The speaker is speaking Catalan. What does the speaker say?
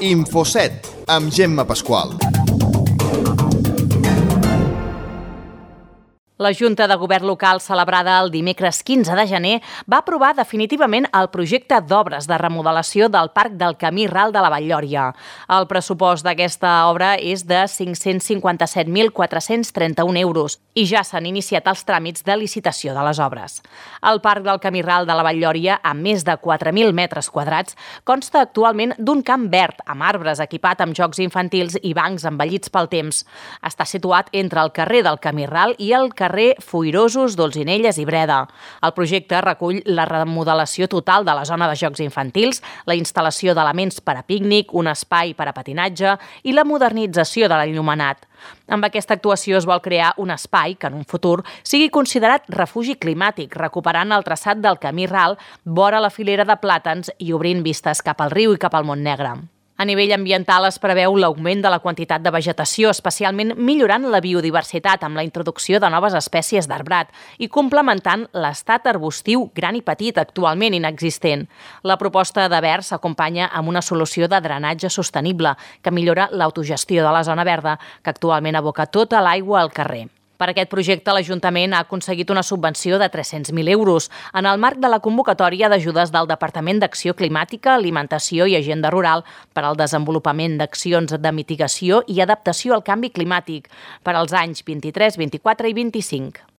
Info7, amb Gemma Pasqual. La Junta de Govern Local, celebrada el dimecres 15 de gener, va aprovar definitivament el projecte d'obres de remodelació del Parc del Camí Ral de la Vall-lloria. El pressupost d'aquesta obra és de 557.431 euros i ja s'han iniciat els tràmits de licitació de les obres. El Parc del Camí Ral de la Vall-lloria, amb més de 4.000 metres quadrats, consta actualment d'un camp verd amb arbres equipat amb jocs infantils i bancs envellits pel temps. Està situat entre el carrer del Camí Ral i el carrer Foirosos, Dolzinelles i Breda. El projecte recull la remodelació total de la zona de jocs infantils, la instal·lació d'elements per a pícnic, un espai per a patinatge i la modernització de l'enllumenat. Amb aquesta actuació es vol crear un espai que en un futur sigui considerat refugi climàtic, recuperant el traçat del Camí Ral vora la filera de plàtans i obrint vistes cap al riu i cap al Montnegre. A nivell ambiental es preveu l'augment de la quantitat de vegetació, especialment millorant la biodiversitat amb la introducció de noves espècies d'arbrat i complementant l'estat arbustiu gran i petit actualment inexistent. La proposta de verd s'acompanya amb una solució de drenatge sostenible que millora l'autogestió de la zona verda, que actualment aboca tota l'aigua al carrer. Per aquest projecte, l'Ajuntament ha aconseguit una subvenció de 300.000 euros en el marc de la convocatòria d'ajudes del Departament d'Acció Climàtica, Alimentació i Agenda Rural per al desenvolupament d'accions de mitigació i adaptació al canvi climàtic per als anys 23, 24 i 25.